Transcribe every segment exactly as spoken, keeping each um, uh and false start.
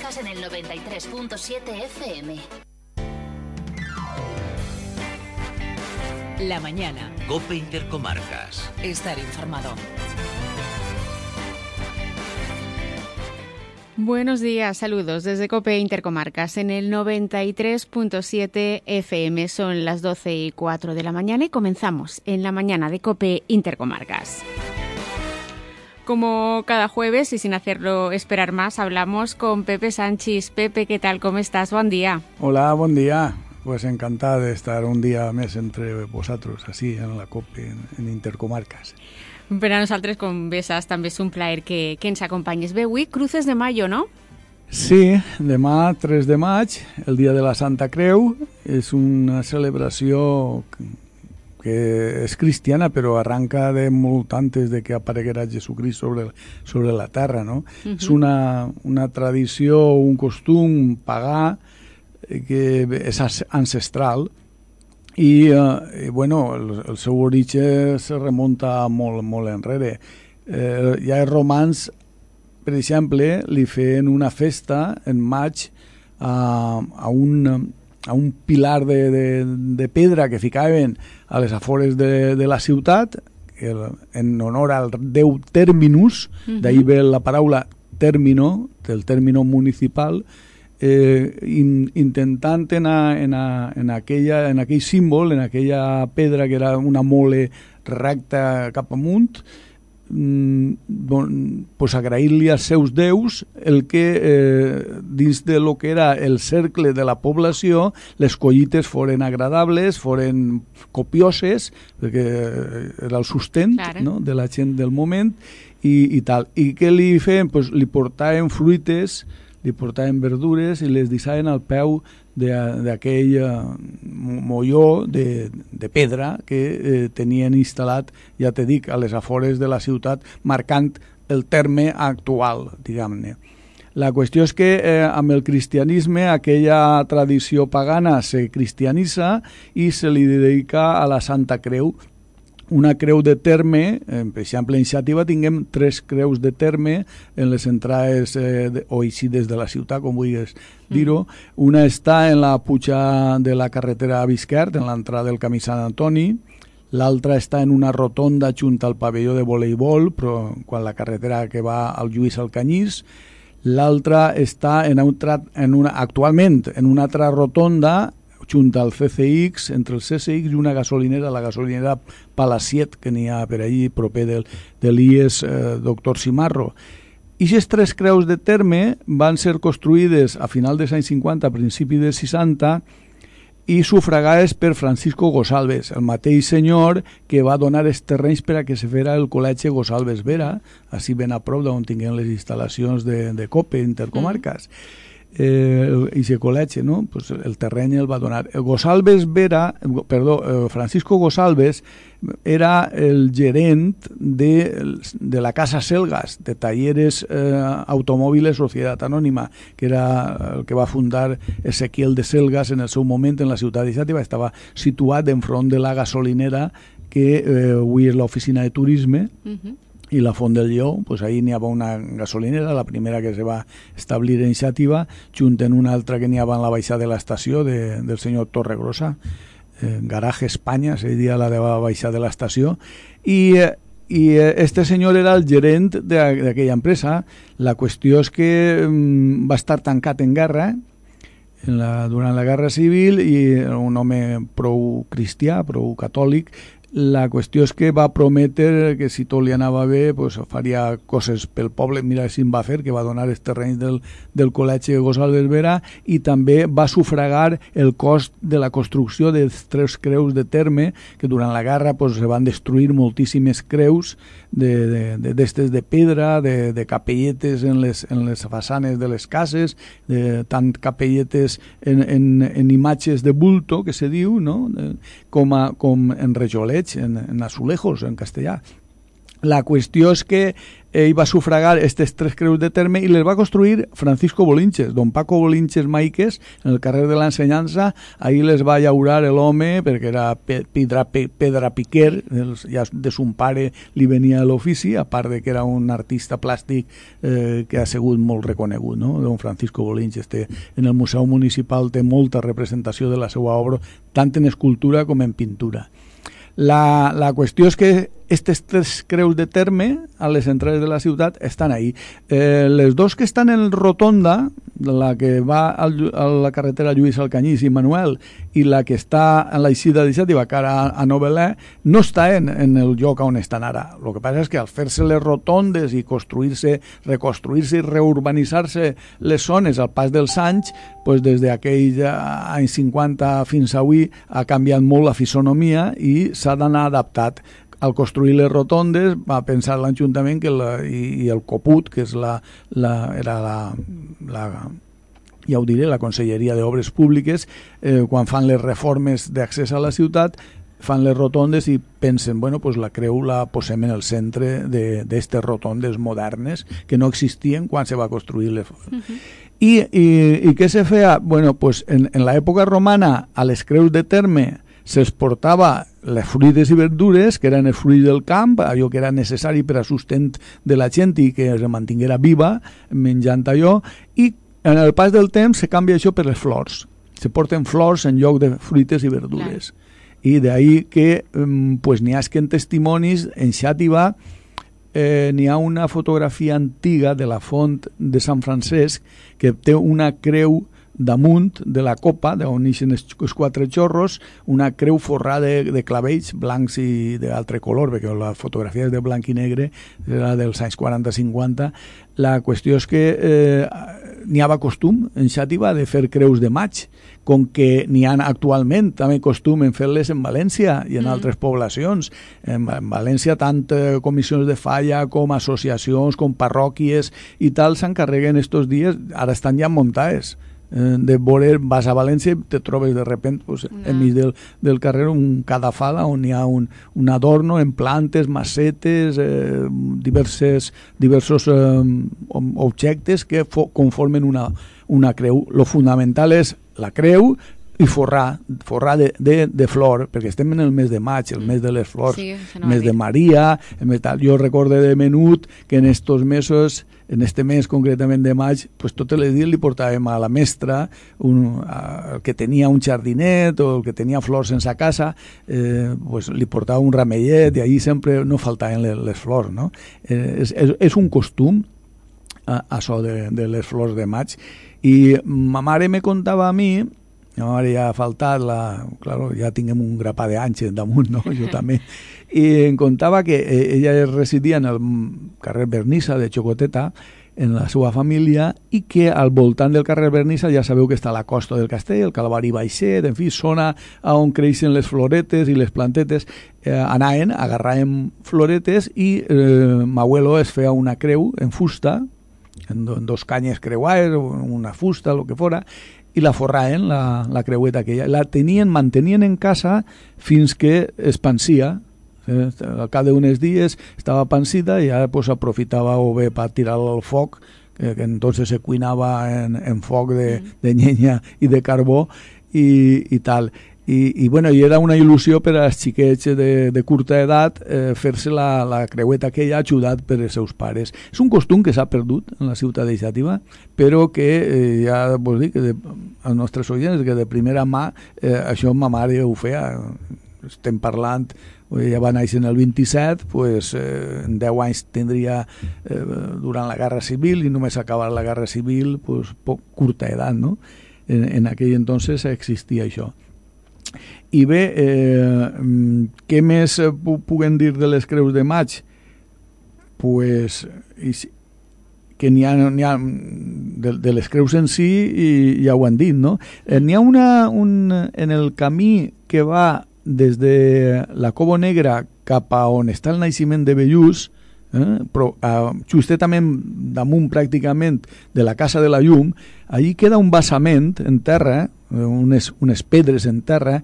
Intercomarcas en el noventa y tres punto siete F M. La mañana. COPE Intercomarcas. Estar informado. Buenos días, saludos desde COPE Intercomarcas en el noventa y tres punto siete F M. Son las doce y cuatro de la mañana y comenzamos en la mañana de COPE Intercomarcas. Como cada jueves y sin hacerlo esperar más, hablamos con Pepe Sanchis. Pepe, ¿qué tal? ¿Cómo estás? Buen día. Hola, buen día. Pues encantada de estar un día més entre vosaltres, així, en la COPE, en, en Intercomarcas. Per a nosaltres, com bé saps, també és un plaer que, que ens acompanyes. Bé, avui, Cruces de Mayo, no? Sí, demà, tres de maig, el dia de la Santa Creu, és una celebració que és cristiana, però arranca de molt antes de que apareguera Jesucrist sobre, sobre la terra, no? Uh-huh. És una, una tradició, un costum pagà, que és ancestral i, eh, bueno, el, el seu origen se remunta molt, molt enrere. Eh, ja els romans, per exemple, li feien una festa en maig a, a, un, a un pilar de, de, de pedra que ficaven a les afores de, de la ciutat, en honor al déu Terminus, uh-huh. D'ahir ve la paraula término, del término municipal, Eh, in, intentant en, a, en, a, en, aquella, en aquell símbol, en aquella pedra que era una mole recta cap amunt, mm, bon, pues agrair-li als seus déus el que eh, dins de lo que era el cercle de la població les collites foren agradables, foren copioses, perquè era el sustent, claro, no?, de la gent del moment i, i tal. I què li feien? Pues li portaven fruites, li portaven verdures i les deixaven al peu d'aquell eh, molló de, de pedra que eh, tenien instal·lat, ja te dic, a les afores de la ciutat, marcant el terme actual, diguem-ne. La qüestió és que eh, amb el cristianisme aquella tradició pagana se cristianitza i se li dedica a la Santa Creu, una creu de terme. Per exemple, en Xàtiva tinguem tres creus de terme en les entrades eh, de, o eixides de la ciutat, com vulguis dir-ho. Una està en la puja de la carretera a Bisquert, en l'entrada del camí Sant Antoni. L'altra està en una rotonda junt al pavelló de voleibol, però quan la carretera que va al Lluís al Canyís. L'altra està en un, en una, actualment en una altra rotonda junt al C C X, entre el C C X i una gasolinera, la gasolinera Palaciet, que n'hi ha per allí, proper del, de l'I E S eh, Doctor Simarro. I aquestes tres creus de terme van ser construïdes a final dels anys cinquanta, a principi dels seixanta, i sufragades per Francisco Gosalves, el mateix senyor que va donar els terrenys per a que se fera el col·legi Gosalves Vera, així ben a prop d'on tinguem les instal·lacions de, de COPE Intercomarcas. Mm. Eh, i se col·legi, no? Pues el terreny el va donar. El Gosalves Vera, perdó, eh, Francisco Gosalves era el gerent de, de la Casa Selgas, de Talleres eh, Automòviles Societat Anònima, que era el que va fundar Ezequiel de Selgas en el seu moment en la ciutat de Xàtiva. Estava situat enfront de la gasolinera que eh, avui és l'oficina de turisme, uh-huh. I la Font del Lleó, pues ahí n'hi havia una gasolinera, la primera que se va establir en Xàtiva, junt en una altra que n'hi havia en la baixada de l'estació de, del senyor Torregrossa, eh, Garaje Espanya, se diria la de la baixada de l'estació, i, i este senyor era el gerent d'aquella empresa. La qüestió és que mm, va estar tancat en guerra, en la, durant la Guerra Civil, i un home prou cristià, prou catòlic. La qüestió és que va prometre que si tot li anava bé pues, faria coses pel poble. Mira si en va fer, que va donar els terrenys del, del col·legi Gosalves Vera, i també va sufragar el cost de la construcció de tres creus de terme, que durant la guerra pues, se van destruir moltíssimes creus d'estes de, de, de, de pedra, de, de capelletes en les, en les façanes de les cases, de, tant capelletes en, en, en imatges de bulto, que se diu, no? com, a, com en rajolets, en, en azulejos, en castellà. La qüestió és que ell va sufragar aquestes tres creus de terme i les va construir Francisco Bolinches, don Paco Bolinches Maiques, en el carrer de l'Ensenyança. Ahí les va llaurar l'home, perquè era pedra, pedra piquer, ja de son pare li venia a l'ofici, a part de que era un artista plàstic eh, que ha sigut molt reconegut, no? Don Francisco Bolinches té, en el Museu Municipal té molta representació de la seva obra, tant en escultura com en pintura. La, la qüestió és que aquestes tres creus de terme a les entrades de la ciutat estan ahí. Eh, les dos que estan en rotonda, la que va al, a la carretera Lluís Alcanyís i Manuel i la que està en l'eixida de Xàtiva cara a, a Novelè, no està en, en el lloc on estan ara. El que passa és que al fer-se les rotondes i construir-se, reconstruir-se i reurbanitzar-se les zones al pas dels anys, pues des d'aquells anys cinquanta fins avui ha canviat molt la fisonomia i s'ha d'anar adaptat. Al construir les rotondes va pensar l'Ajuntament que la, i, i el Coput, que és la, la, era la, la, ja ho diré, la Conselleria d'Obres Públiques, eh, quan fan les reformes d'accés a la ciutat, fan les rotondes i pensen, bueno, pues la creu la posem en el centre d'aquestes rotondes modernes que no existien quan se va construir les... Uh-huh. I, i, i què se feia? Bueno, pues en, en l'època romana a les creus de terme se'ls portava les fruites i verdures, que eren els fruits del camp, allò que era necessari per a sustent de la gent i que es mantinguera viva menjant allò, i en el pas del temps se canvia això per les flors. Se porten flors en lloc de fruites i verdures. Clar. I d'ahí que pues, n'hi ha que en testimonis, en Xàtiva, eh, n'hi ha una fotografia antiga de la font de Sant Francesc que té una creu damunt de la copa, d'on neixen els quatre xorros, una creu forrada de, de clavells blancs i d'altre color, perquè la fotografia és de blanc i negre, era dels anys quaranta cinquanta. La qüestió és que eh, n'hi havia costum en Xàtiva de fer creus de maig, com que n'hi ha actualment també costum en fer-les en València i en mm. altres poblacions. En, en València tant eh, comissions de falla com associacions, com parròquies i tal s'encarreguen estos dies, ara estan ja muntades. De veure, vas a València i te trobes de repente pues, no. enmig del, del carrer un cadafal on hi ha un, un adorno en plantes, macetes, eh, diverses, diversos eh, objectes que fo, conformen una, una creu. Lo fundamental és la creu i forrar, forrar de, de, de flor, perquè estem en el mes de maig, el mes de les flors, sí, el mes de Maria, el mes tal. Jo recorde de menut que en estos mesos, en este mes concretament de maig, pues totes les dies li portàvem a la mestra, un, a, el que tenia un jardinet o el que tenia flors sense casa, eh, pues li portava un ramellet i ahí sempre no faltaven les, les flors, no? Eh, és, és, és un costum, a, això de, de les flors de maig. I ma mare me contava a mi, la mare ja ha faltat, la, claro, ja tinguem un grapà d'anys damunt, no? Jo també. I em contava que ella residia en el carrer Vernissa de Xocoteta, en la seva família, i que al voltant del carrer Vernissa ja sabeu que està la Costa del Castell, el Calvari Baixet, en fi, zona on creixen les floretes i les plantetes. Eh, anaven, agarraven floretes i eh, m'abuelo es feia una creu en fusta, en, do, en dos canyes creuades, una fusta, el que fora, i la forraven, la, la creueta aquella. La tenien, mantenien en casa fins que es pansia. Eh, al cap d'uns dies estava pansida i ara pues, aprofitava o bé per tirar-la al foc, que, que entonces se cuinava en, en foc de, de llenya i de carbó i, i tal. I, i, bueno, i era una il·lusió per als xiquets de, de curta edat eh, fer-se la, la creueta aquella ajudat per els seus pares. És un costum que s'ha perdut en la ciutat de Xàtiva, però que eh, ja vos dic que de, els nostres oients que de primera mà eh, això ma mare ho feia. Estem parlant, ja va néixer en el vint-i-set, pues, eh, en deu anys tindria eh, durant la Guerra Civil i només acabar la Guerra Civil pues, poc curta edat, no? En, en aquell entonces existia això. I bé, eh, què més puguem dir de les creus de maig? Pues, que n'hi ha, n'hi ha de, de les creus en si i ja ho han dit, no? Eh, n'hi ha una, un, en el camí que va des de la Cobo Negra cap a on està el naixement de Bellús, eh, però eh, justament damunt pràcticament de la Casa de la Llum, allí queda un basament en terra, unes, unes pedres en terra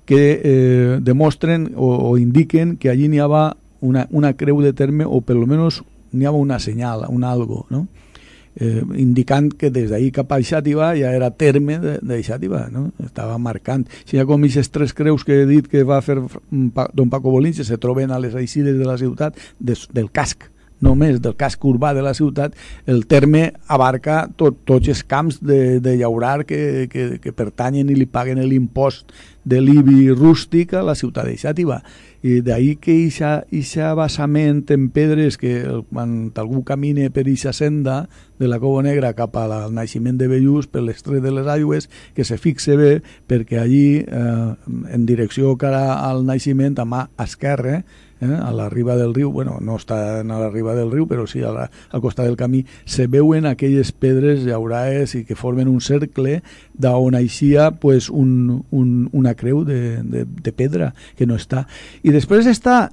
que eh, demostren o, o indiquen que allí n'hi havia una, una creu de terme, o per lo menos n'hi havia una senyal, un algo, no? Eh, indicant que des d'ahir cap a Xàtiva ja era terme de, de Xàtiva, no? Estava marcant. Si hi ha com aquestes tres creus que he dit que va fer don Paco Bolins, se troben a les eixides de la ciutat, des, del casc, només del casc urbà de la ciutat, el terme abarca tot, tots els camps de, de llaurar que, que, que pertanyen i li paguen l'impost de l'I B I rústic a la ciutat de Xàtiva. I d'ahir que ixa basament en pedres, que quan algú camine per ixa senda de la Cova Negra cap al naixement de Bellús, per l'estret de les Aigües, que se fixe bé, perquè allí, eh, en direcció cara al naixement, a mà esquerra, eh, a la riba del riu, bueno, no està a la riba del riu, però sí a la, al costat del camí, se veuen aquelles pedres llaurades i que formen un cercle d'on aixia pues, un, un, una creu de, de, de pedra, que no està. I després està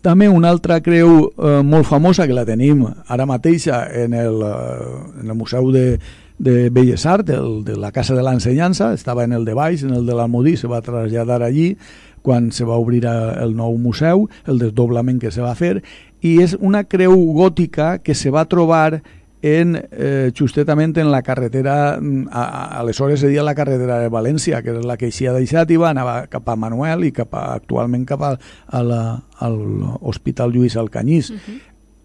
també una altra creu eh, molt famosa, que la tenim ara mateixa en el, eh, en el Museu de, de Belles Arts, el, de la Casa de l'Ensenyança, estava en el de baix, en el de l'Almodí, se va traslladar allí quan se va obrir el nou museu, el desdoblament que se va fer, i és una creu gòtica que se va trobar en, eh, justament en la carretera, a, aleshores seria la carretera de València, que és la que eixia de Xàtiva, anava cap a Manuel i cap a, actualment cap a, a la, al Hospital Lluís Alcanyís. Uh-huh.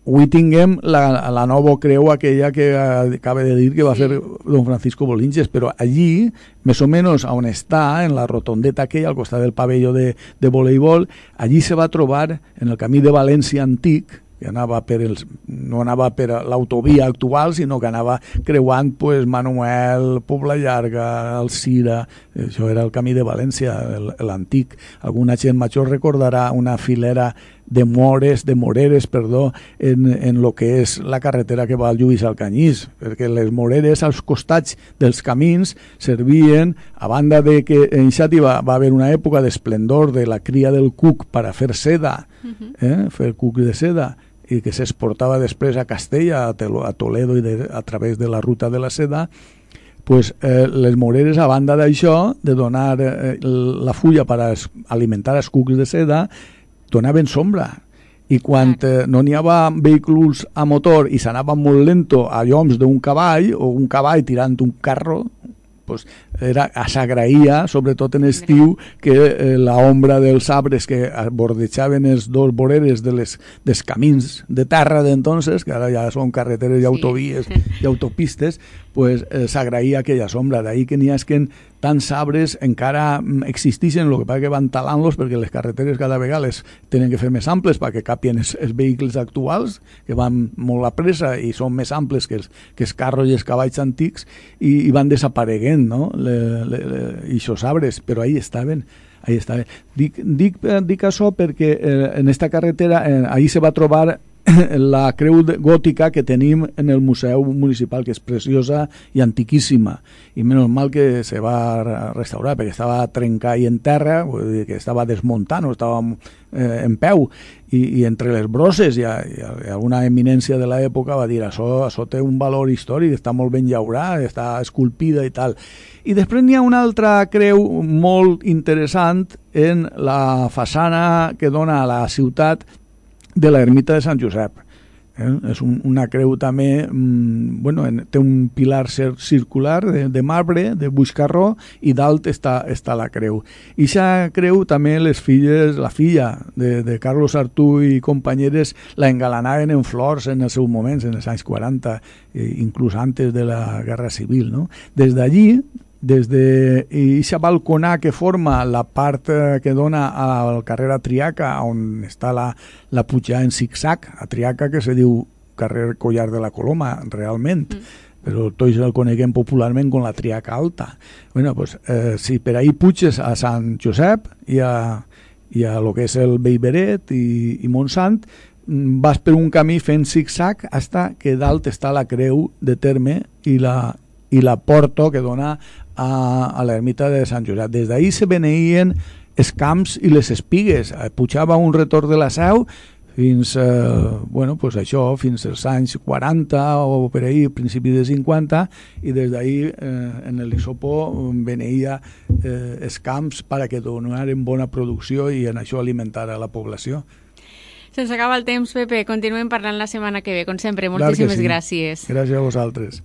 Avui tinguem la, la nova creu aquella que acaba de dir que va fer don Francisco Bolinches, però allí, més o menys on està, en la rotondeta aquella, al costat del pavelló de, de voleibol, allí se va trobar, en el camí de València antic, que anava per els, no anava per l'autovia actual, sinó que anava creuant pues, Manuel, Pobla Llarga, Alcira, això era el camí de València, l'antic. Alguna gent major recordarà una filera de mores, de moreres, perdó, en, en lo que és la carretera que va al Lluís Alcanyís, perquè les moreres als costats dels camins servien, a banda de que en Xàtiva va haver una època d'esplendor de la cria del cuc per a fer seda, eh? fer cuc de seda, i que s'exportava després a Castella, a Toledo i de, a través de la ruta de la seda, pues, eh, les moreres, a banda d'això, de donar eh, la fulla per a alimentar els cucs de seda, donaven sombra. I quan eh, no n'hi havia vehicles a motor i s'anava molt lento a lloms d'un cavall, o un cavall tirant un carro, pues era, s'agraïa, sobretot en estiu, que eh, la ombra dels arbres que bordejaven els dos voreres de les, dels camins de terra d'entonces, que ara ja són carreteres i autovies sí. i autopistes, pues eh, s'agraïa aquella sombra. D'ahir que n'hi ha que tants arbres encara existeixen, el que passa que van talant-los perquè les carreteres cada vegada les tenen que fer més amples perquè capien els, els vehicles actuals, que van molt a pressa i són més amples que els, que els carros i els cavalls antics, i, i van desapareguent, no? Le, le, le, i aquests arbres, però ahí estaven. Ahí estaven. Dic, dic, dic això perquè eh, en esta carretera, eh, ahí se va trobar la creu gòtica que tenim en el Museu Municipal, que és preciosa i antiquíssima, i menys mal que se va restaurar perquè estava trencada i en terra, vull dir que estava desmuntant o estava eh, en peu, i, i entre les brosses i, i, i alguna eminència de l'època va dir això, això té un valor històric, està molt ben llaurat, està esculpida i tal. I després n'hi ha una altra creu molt interessant en la façana que dona a la ciutat de l'ermita de Sant Josep. Eh? És un, una creu també, mmm, bueno, en, té un pilar circular de, de marbre, de buixcarró, i dalt està, està la creu. I aquesta creu també les filles, la filla de, de Carlos Artú i companyeres la engalanaven en flors en els seus moments, en els anys quaranta, eh, inclús antes de la Guerra Civil, no? Des d'allí, des de aquesta balconà que forma la part que dona al carrer a Triaca, on està la, la pujada en zig-zag, a Triaca, que se diu carrer Collar de la Coloma, realment, mm. però tots el coneguem popularment com la Triaca Alta. Bueno, pues, eh, si per ahí puges a Sant Josep i a, i a lo que és el Bellveret i, i Montsant, vas per un camí fent zig-zag hasta que dalt està la creu de terme i la, i la porta que dona a, a l'ermita de Sant Josep. Des d'ahir se beneïen els camps i les espigues. Pujava un retorn de la Seu fins, eh, bueno, pues això, fins als anys quaranta o per ahir, principi de cinquanta, i des d'ahir eh, en l'Isopó beneïa eh, els camps per a que donaren bona producció i en això alimentar a la població. Se'ns acaba el temps, Pepe. Continuem parlant la setmana que ve, com sempre. Moltíssimes sí. gràcies. Gràcies a vosaltres.